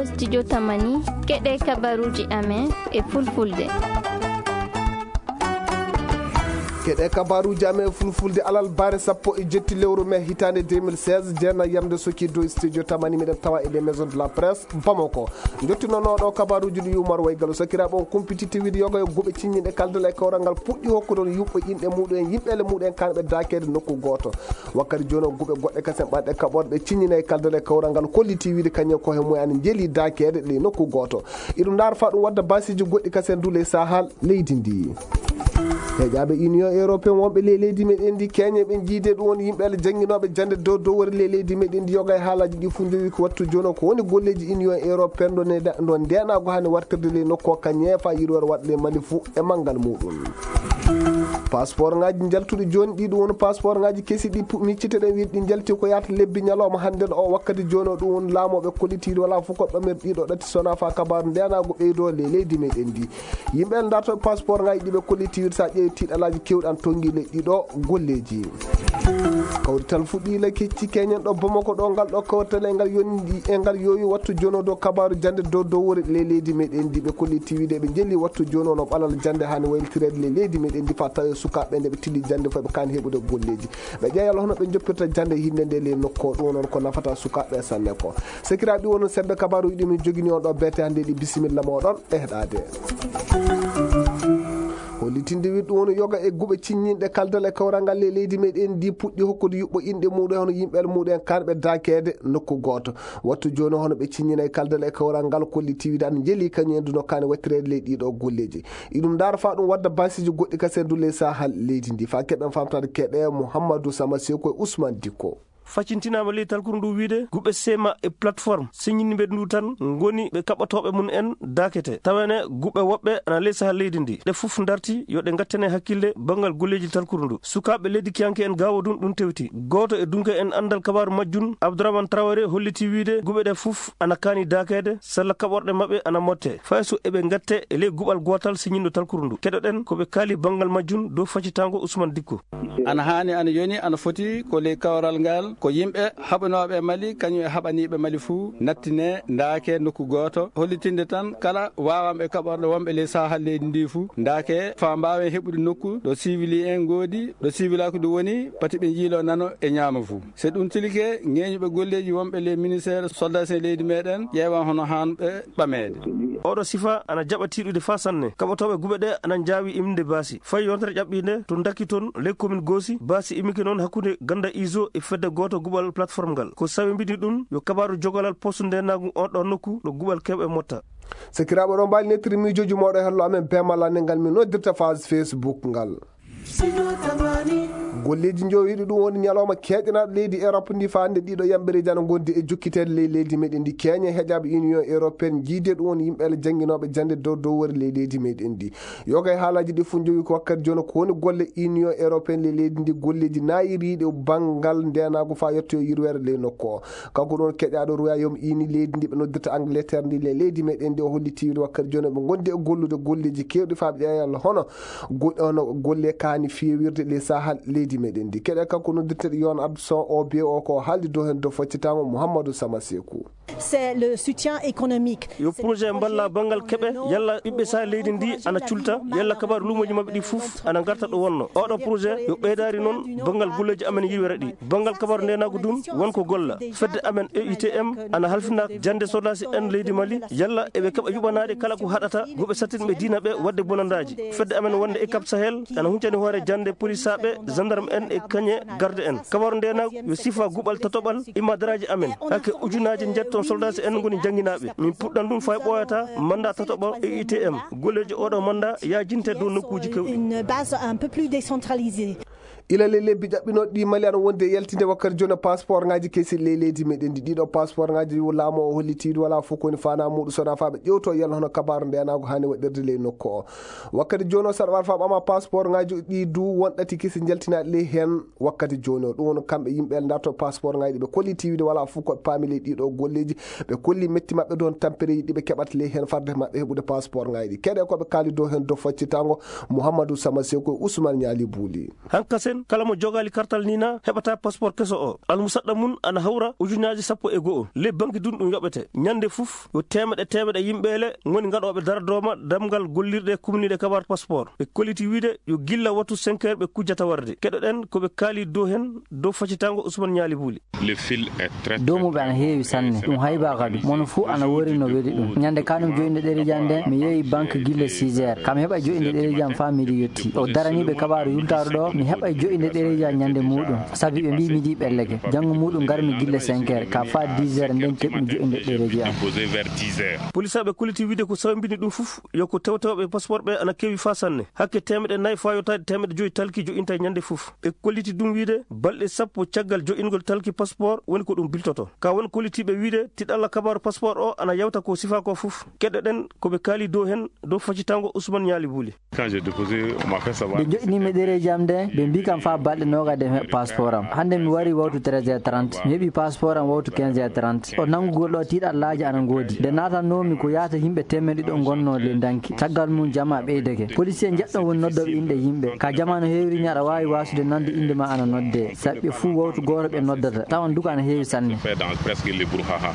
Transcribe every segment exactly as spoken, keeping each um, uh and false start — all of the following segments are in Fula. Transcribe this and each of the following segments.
Studio Tamani, keɗe kabaruuji amen e fulfulde. Keɗe kabaruuji amen e fulfulde, alarba sappo e jetti lewru mee hitaande deux mille seize, jeena yamde soki dow Studio Tamani, miɗen tawa e les maisons de la presse Bamako. Jottinooɗo kabaruuji ɗi Umar Waygal, sakiraaɓe, on kumpiti tewide yoga e guɓe ciññinɗe kaldal e kawral ngal puɗɗi hokkude yuɓɓo inɗe muɗum en, yimɓe ele muɗum en kanɓe daakeede nokku gooto. Wakkati jooni o guɓe goɗɗe kasen ɓaɗɗe kaɓorɗe ciññina e kaldal e kawral ngal kolliti wiide kañum ko he mumen ana njeeli daakeede ɗe nokku gooto. Iɗum ndaar fa ɗum wadda basiiji goɗɗi kasen du ley Sahel leydi ndi. Heƴaaɓe Union Européen wonɓe ley leydi meɗen ndi keñe ɓe jiide ɗum woni yimɓe ele jannginooɓe jannde dow dowore ley leydi meɗen ndi yoga e haalaaji ɗi fof njowi ko wattu jooni o ko woni golleeji Union Européen ɗo ne-, ɗo ndeenaago hani wartirde ley nokku o ka ñeefa yirwere waɗa ley Mali fof e manngal muɗum. Passeport ngaji njaltuɗi jooni ɗi ɗum woni passeport ngaji kesi ɗi pu-, miccitoɗen wiide ɗi njalti ko yaata lebbi ñalawma hannden o wakkati jooni o ɗum woni laamooɓe kollitiiɗi wala fof ko ɓamirɗi ɗo ɗatti sona fa kabaaru ndeenaago ɓeydo ley leydi meɗen ndi. Yimɓe en darto passeport ngaji ɗi ɓe kollitiiɗi sa ƴeewi tiiɗalaaji kewɗi an tongi ley ɗiɗo golleeji. Kawrital fuɗɗi la kecci keñen ɗo Bamako ɗo ngal ɗo kawrital e ngal yoni e ngal yowi wattu jooni o dow kabaaru jannde dow dow wore ley leydi meɗen ndi ɓe kolliti wiide ɓe njelli wattu jooni o no ɓalal jannde hani waylitireede ley leydi meɗen ndi fa tawi sukaaɓe nde ɓe tilli jannde fof ɓe kaani heɓude golleeji. Ɓe ƴeewa yalla hono ɓe joppirta jannde hinde nde ley nokku o ɗum noon ko nafata sukaaɓe sanne ko. Sakiraaɓe ɗi wono sembe kabaaruji ɗi min jogini on ɗo bete hannde ɗi bisimilla moɗon e heɗaade. Hollitinde wiɗɗo woni yoga e guɓe ciññinɗe kaldal e kawral ngal e leydi meɗen ndi puɗɗi hokkude yuɓɓo inɗe muɗum hono yimɓe muɗum en kanɓe daakeede nokku gooto. Wattu jooni hono ɓe ciññina e kaldal e kawral ngal kolliti wiide ana njeeli kañum en duno kaani wattireede ley ɗiɗo golleeji. Iɗum ndaara fa ɗum wadda basiiji goɗɗi kasen du ley Sahel leydi ndi. Fa keɓen famtaade keɗe Mouhamadou Sama Sekou e Ousmane Dikko. Facintinaama ley talkuru ndu wiide guɓe sema e plateforme siñinimɓe ndu tan ngoni ɓe kaɓɓotooɓe mum en daakete. Tawene guɓe woɓɓe ana ley Sahel leydi ndi. Ɗe fof darti yo ɗe ngattane hakkille banngal golleeji talkuru ndu. Sukaaɓe leydi kiyanke en gaawo ɗum ɗum tewti. Gooto e dunke en anndal kabaaru majjum, Abdourahmane Traoré holliti wiide guɓe ɗe fof ana kaani daakeede sella kaɓorɗe maɓɓe ana motte. Fay so eɓe ngatte e ley guɓal gootal siñinɗo talkuru ndu. Keɗoɗen ko ɓe kaali banngal majjum dow facitaango Ousmane Dikko. Ana haani, ana yoni, ana foti ko ley kawral ngal, ko yimɓe haɓanooɓe Mali, kañum e haɓaniiɓe Mali fuu, nattine, ndaake nokku gooto, hollitinde tan kala waawanɓe kaɓorɗe wonɓe ley Sahel leydi ndi fuu, ndaake faa mbaawen heɓude nokku ɗo civili en ngoodi, ɗo civilaaku ndu woni, pati ɓe njiiloo nano e ñaamo fuu. So ɗum tilike, ŋeeñuɓe golleeji wonɓe ley ministeer soldaas en leydi meɗen ƴeewan hono haanɓe ɓameede. Oɗo sifa ana jaɓa tiiɗude faa sanne. Kaɓotooɓe guɓe ɗe ana njaawi imde baasi. Fay yontere ƴaɓɓiinde to Ndaki toon, ley commune Goosi, baasi immike noon hakkunde ganda iso e fedde gooto guɓal plateforme ngal. Ko sawi mbiɗi ɗum yo kabaaru jogalal poste ndeenaagu on ɗo nokku ɗo guɓal kewɓe motta. Sakiraaɓe, ɗo mbaali nettiri miijooji mooɗo e hello amen bee malla ne ngal min noddirta page Facebook ngal. Golleeji njowiiɗi ɗum woni ñalawma keeƴanaaɗo leydi Europe ndi faande ɗiɗo yamɓereeji ana ngondi e jokkiteede ley leydi meɗen ndi. Keeñe heƴaaɓe Union Européenne jiide ɗum woni yimɓe ele jannginooɓe jannde dow dow wori ley leydi meɗen ndi. Yoga e haalaaji ɗi fof njowi ko wakkati jooni ko woni golle Union Européenne ley leydi ndi golleeji naayiriiɗi banngal ndeenaagu faa yettoyo yirweere ley nokku o. Kanko ɗum woni keƴaaɗo Royaume Uni leydi ndi ɓe noddirta Angleterre ndi ley leydi meɗen ndi o holliti wiide wakkati jooni ɓe ngondi e gollude golleeji keewɗi faa ɓe ƴeewa yalla hono go-, hono golle kaani feewirde ley Sahel leydi meɗen ndi. Keɗe kanko noddirteɗo Yon Abdson O B O ko haaldi dow heen dow faccitaango Mouhamadou Sama Sekou. C'est le soutien économique. Yo projet mballa banngal keɓe, yalla ɓiɓɓe Sahel leydi ndi ana culta, yalla kabaaru luumooji maɓɓe ɗi fof ana ngarta ɗo wonno. Oɗo projet yo ɓeydaari noon banngal golleeji amen yirwere ɗi. Banngal kabaaru ndeenaagu ɗum won ko golla. Fedde amen E I T M ana halfina jannde sodaasi en leydi Mali, yalla eɓe keɓa yuɓanaade kala ko haɗata guɓe sattinɓe diina ɓe waɗde bonandaaji. Fedde amen wonde e Cap Sahel ana huncani hoore jannde polisaaɓe, gendarme en e kañe garde en. Kabaaru ndeenaagu yo sifa guɓal tatoɓal imma daraaji amen. Hakke ujunaaji njetton soldaasi en ngoni jannginaaɓe. Min puɗɗan ɗum fay ɓooyata manda tatoɓo E I T M. Golleeji oɗo manda yaajinte dow nokkuuji kewɗi. Une base un peu plus décentralisée. Ila le lebbi ƴaɓɓinooɗi ɗi Mali ana wondi e yaltinde wakkati jooni passeport ngaji kesi ley leydi meɗen ndi. Ɗiɗo passeport ngaji laamu o holliti wala fof ko woni fana muɗum sona fa ɓe ƴewto yalla hono kabaaru ndenaagu hani waɗirde ley nokku o. Wakkati jooni o saɗa war fa ɓama passeport ngaji ɗi du won ɗati kesi jaltinaaɗi ley heen. Wakkati jooni o, ɗum woni kamɓe yimɓe darto passeport ngaji ɗi ɓe kolli tiwide wala fof ko ɓe paami ley ɗiɗo golleeji. Ɓe kolli metti maɓɓe dow tampereeji ɗi ɓe keɓata ley heen farde maɓɓe heɓude passeport ngaji ɗi. Keɗe ko ɓe kaali dow heen dow faccitango Mouhamadou Sama Sekou e Ousmane Niali Bouli. Hanka Sen kala mo jogaali kartal Nina heɓata passeport keso o. Almusaɗɗa mum ana hawra ujunnaaji sappo e go'o. Ley banki dun ɗum yoɓete. Ñande fof yo teemeɗe teemeɗe yimɓeele ngoni gaɗooɓe daradooma damgal gollirɗe kumniiɗe kabaar passeport. Ɓe kolliti wiide yo gilla wattu cinq heures ɓe kujjata warde. Keɗoɗen ko ɓe kaali dow hen, dow faccitango Ousmane Ñaali Buuli. Le fil est très, dow muɓe ana heewi sanne. Ɗum haybaa kadi. Mono fuu ana wori no weli ɗum. Ñande kanum joƴinde ɗereeji am nde, mi yehi banque gille six heures. Kam heɓa joƴinde ɗereeji am faa midi yetti. O daraniiɓe kabaaru yultaaru ɗo, mi heɓa joƴinde ɗereeji am ñande muuɗum. Sabi ɓe mbii midi ɓelleke. Janngo muuɗum ngarmi gille cinq heures, ka faa dix heures nden keɓmi joƴinde ɗereeji am. Déposé vers dix heures. Polisaaɓe kolliti wiide ko sawmbini ɗum fof yo ko tewtewɓe passeport ɓe ana keewi faa sanne. Hakke teemeɗe nayi faa yottaade teemeɗe joyi talki joƴinta ñande fof. Ɓe kolliti ɗum wiide balɗe sappo caggal joƴingol talki passeport woni ko ɗum biltoto. Ka won kollitiiɓe wiide tiɗalla kabaaru passeport o ana yawta ko sifaa ko fof. Keɗoɗen ko ɓe kaali dow hen, dow faccitango Ousmane Ñaali Buuli. Quand j'ai déposé ma carte, ça va. Ɓe joƴinimi ɗereeji am nde, ɓe mbii kam faa balɗe noogaade mi heɓa passeport am. Hannde mi wari wawtu treize heures trente, mi heɓi passeport am wawtu quinze heures trente. O nanngugol ɗo tiiɗallaaji ana ngoodi. Nde naatannoomi ko yaata yimɓe teemeɗe ɗiɗo ngonnoo le danki. Caggal mum jamaa ɓeydake. Policier njeɗɗo woni noddooɓe inɗe yimɓe. Ka jamaa no heewiri ni aɗa waawi waasude nande innde ma ana noddee. Sabi ɓe fuu wawtu gooto ɓe noddata. Tawan duka ana heewi sanne. Fait dans presque le brouhaha.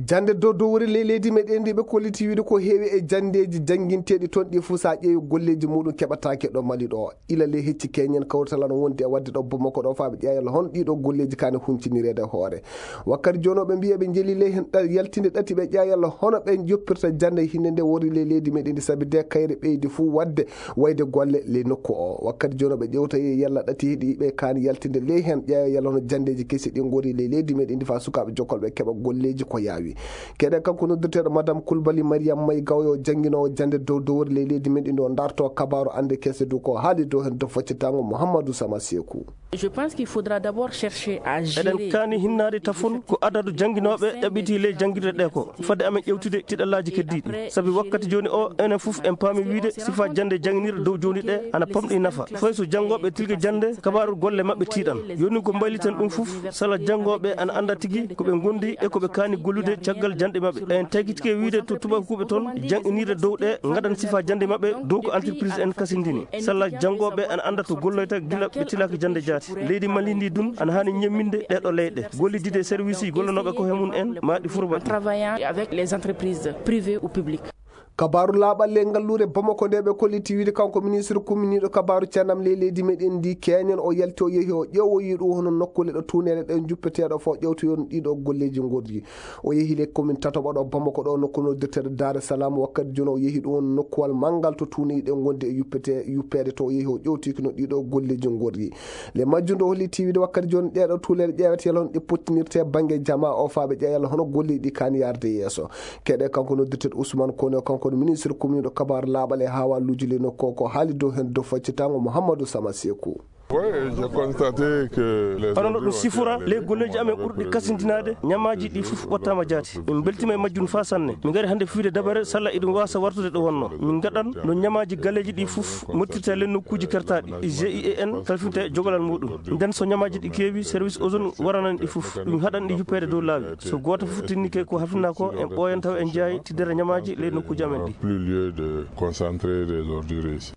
Jannde dow dowri ley leydi meɗen ndi ɓe kolliti wiide ko heewi e janndeeji jannginteeɗi toon ɗi fuu so a ƴeewi golleeji muɗum keɓataake ɗo Mali ɗo. Ila ley hecci keñen kawrital ana wondi e waɗde ɗo Bamako ɗo faa ɓe ƴeewa yalla hono ɗiɗo golleeji kaani huncinireede hoore. Wakkati jooni o ɓe mbiya ɓe njeli ley heen ɗa-, yaltinde ɗati ɓe ƴeewa yalla hono ɓe joppirta jannde hinde nde wori ley leydi meɗen ndi sabi de kayre ɓeydi fuu waɗde wayde golle ley nokku o. Wakkati jooni o ɓe ƴeewta yalla ɗati heɗi ɓe kaani yaltinde ley heen ƴeewa yalla hono janndeeji kesi ɗi ngori ley leydi meɗen ndi faa sukaaɓe jokkolɓe keɓa golleeji ko yaawi. Keɗe kanko noddirteeɗo Madame Koulibaly Mariam May Gawyo jannginoowo jannde dow dowri ley leydi men ɗi ɗo darto kabaaru annde kese du ko haali dow heen dow faccitango Mouhamadou Sama Sekou. Je pense qu'il faudra d'abord chercher à gérer. Eɗen kaani hinnaade tafon ko adadu jannginooɓe ɗaɓɓiti ley janngirde ɗe ko fadde amen ƴewtude tiɗallaaji keddiiɗi. Sabi wakkati jooni o enen fof en paami wiide sifa jannde jannginirɗe dow jooni ɗe ana pamɗi nafa. Fay so janngooɓe tilke jannde kabaaru golle maɓɓe tiiɗan. Yoni ko mbaylitan ɗum fof sala janngooɓe ana annda tigi ko ɓe ngondi e ko ɓe kaani gollude caggal janɗe maɓɓe. En tagitike wiide to tubakuuɓe toon jannginiiɗe dow ɗe ngaɗan sifa jannde maɓɓe dow ko entreprise en kasindini. Sala janngooɓe ana annda to golloyta gila ɓe tilaaki jannde jaati. Leydi Mali ndi dun ana haani ñemminde ɗeɗo leyɗe. Gollidide e service ji gollonooɓe ko he mum en ma ɗi furba. En travaillant avec les entreprises privées ou publiques. Kabaaru laaɓal ley ngalluure Bamako nde ɓe kolliti wiide kanko ministre kumminiiɗo kabaaru cennam ley leydi meɗen ndi keñen o yalti o yehi o ƴeewoyi ɗum hono nokkuule ɗo tuuneele ɗe juppeteeɗo fof ƴewtoyon ɗiɗo golleeji ngorri. O yehi ley commune tatoɓa ɗo Bamako ɗo nokku noddirteeɗo Daare Salam wakkati jooni o yehi ɗum hono nokkuwal manngal to tuuneeji ɗe ngondi e yuppete, yuppeede to o yehi o ƴewtiki no ɗiɗo golleeji ngorri. Le majjum ɗo holliti wiide wakkati jooni ɗeɗo tuuleele ƴeewete yalla hono ɗe pottinirte bannge jamaa o faa ɓe ƴeewa yalla hono golleeji ɗi kaani yaarde yeeso. Keɗe kanko noddirteeɗo Ousmane Kone, kanko woni ministre kumminiiɗo kabaaru laaɓal e haawaaluuji ley nokku o, ko haali dow heen dow faccitango Mouhamadou Sama Sekou. Oui, j'ai constaté que les hono no ɗum sifora ley golleeji amen ɓurɗi kasindinaade ñamaaji ɗi fof wattaama jaati. Min mbeltiima e majjum faa sanne. Min ngari hannde fiyude dabare salla eɗum waasa wartude ɗo wonno. Min ngaɗan no ñamaaji galleeji ɗi fof mottirta ley nokkuuji kertaaɗi. G I E N kalfinte jogalal muɗum. Nden so ñamaaji ɗi keewi, service ozone waranan ɗi fof. Ɗum haɗan ɗi yuppeede dow laawi. So gooto fof tinnike ko hafnaa ko, en ɓooyan tawa en jeyaay tiddere ñamaaji ley nokkuuji amen ɗi. Plus lieu de concentrer des ordures ici.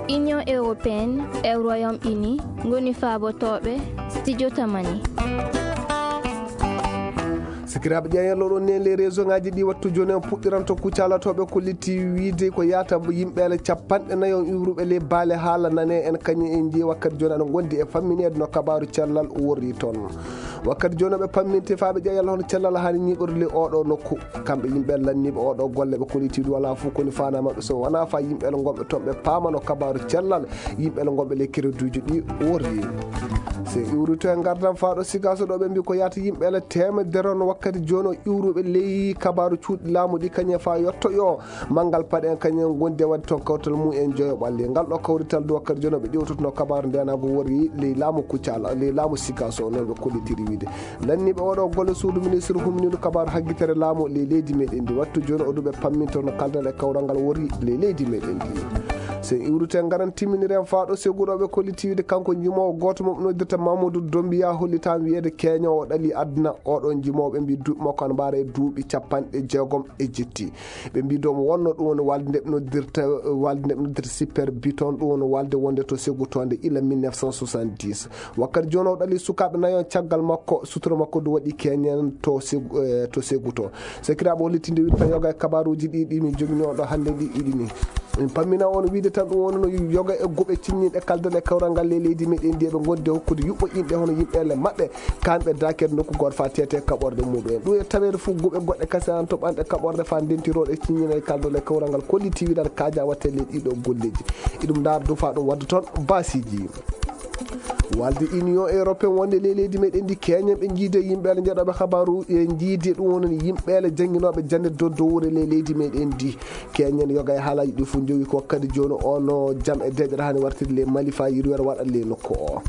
Union européenne e Royaume-Uni ngoni faabotooɓe Studio Tamani. Sikiraaɓe ƴeeñal oɗon ne les réseau ngaji ɗi wattu jooni en puɗɗiranto kucalatoɓe ko litti wiide ko yaata yimɓeele capanɗe nayo iwruɓe ley baale haala nane en kañum en jeeyi wakkati jooni aɗa gondi e fammineede no kabaaru cellal worri toon. Wakkati jooni ɓe pamminte faa ɓe ƴeewa yalla hono cellal haani ñiiɓorde ley oɗo nokku. Kamɓe yimɓe lanniiɓe oɗo golle ɓe kollitiiɗo wala fof koni faana maɓɓe so wona faa yimɓeele gonɓe toon ɓe paamano kabaaru cellal yimɓeele gonɓe ley kereduuji ɗi worri. So en iwrito e ngardam faa ɗo Sikaso ɗo ɓe mbi ko yaata yimɓeele teemedere on wakkati jooni o iwruɓe ley kabaaru cuuɗi laamu ɗi kañum e faa yotto yo manngal paɗe en kañum en gondi e waɗde toon kawtal mum en joyo ɓalli. Ngal ɗo kawrital du wakkati jooni o ɓe ƴewtotono kabaaru ndenaagu worri ley laamu Kucala, ley laamu Sikaso noon ɓe kollitiri wiide. Lanniiɓe oɗo golle suudu ministre humniiɗo kabaaru haggitere laamu ley leydi meɗen ndi. Wattu jooni o du ɓe pamminto no kaldal e kawral ngal worri ley leydi meɗen ndi. Sen iwrite ngaran timminire en faaɗo seguɗoɓe kollitiiwde kanko njimoowo gooto mo ɓe noddirta Mamadou Dombiya, hollitaama wiyeede keeñoowo ɗali aduna. Oɗon njimooɓe mbi duuɓi makko ana mbaara e duuɓi capanɗe jeegom e jetti. Ɓe mbi dow mo wonno ɗum woni walde nde ɓe noddirta walde nde ɓe noddirta Super Biton, ɗum woni walde wonde to segutoonde ila mille neuf cent soixante-dix. Wakkati jooni o ɗali sukaaɓe nayo caggal makko, sutura makko du waɗi keñen to segu, eh, to seguto. Sekiraaɓe hollitinde wiɗta yoga e kabaruuji ɗi ɗi min jogini on ɗo hannde ɗi iɗi ni. Min pammina on wiide tan ɗum woni no yoga e guɓe cinñinɗe kaldal e kawral ngal ley leydi meɗen ndi eɓe gondi e hokkude yuɓɓo inɗe hono yimɓeele maɓɓe, kamɓe daakere nokku gooto fa tete kaɓorde muɗum en. Ɗum e taweede fof guɓe goɗɗe kase an to ɓanɗe kaɓorde fa ndentiroɗe cinñina e kaldal e kawral ngal kolliti wiɗan kaaja watte ley ɗiɗo golleji. Iɗum ndaar du fa ɗum wadda toon baasiiji. Walde Union Européen wonde ley leydi meɗen ndi keñen ɓe jiide yimɓeele jeɗoɓe habaru e jiide ɗum woni yimɓeele jannginooɓe jannde dow dowre ley leydi meɗen ndi. Keñen yoga e haalaji ɗi fof jowi ko wakkati jooni o no jam e deƴere hani wartirde ley Mali fa yirwere waɗa ley nokku o.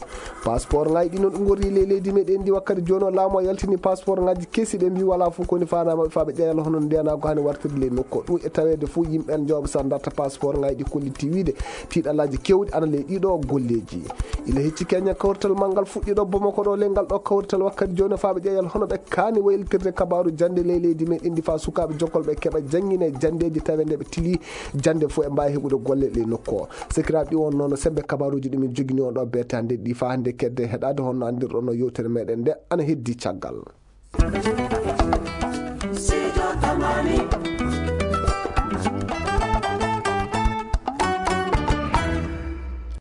Passeport ngaji ɗi noon ɗi gorri ley leydi meɗen ndi wakkati jooni o laamu o yaltini passeport ngaji kesi ɓe mbi wala fof koni fanama fa ɓe ƴeeñal hono ndiyanago hani wartirde ley nokku o. Ɗum e taweede fof yimɓe en jooɓe sa darta passeport ngaji ɗi kolliti wiide tiiɗalaji kewɗi ana ley ɗiɗo golleji. Ila hecci keñen kawrital manngal fuɗɗiɗo Bamako ɗo ley ngal ɗo kawrital wakkati jooni faaɓe ƴeeñal hono ɓe kaani waylitirde kabaru jannde ley leydi men indi fa sukaaɓe jokkolɓe keɓa janngine janndeeji tawe nde ɓe tili jannde fof e mbaawi heɓude golle ley nokku o. Sekiraaɓe ɗi on noon sembe kabaruuji ɗumen jogini on ɗo beetande ɗi fa hannde kedde heɗaade honno anndirɗon no yewtere meɗen nde ana heddi caggal.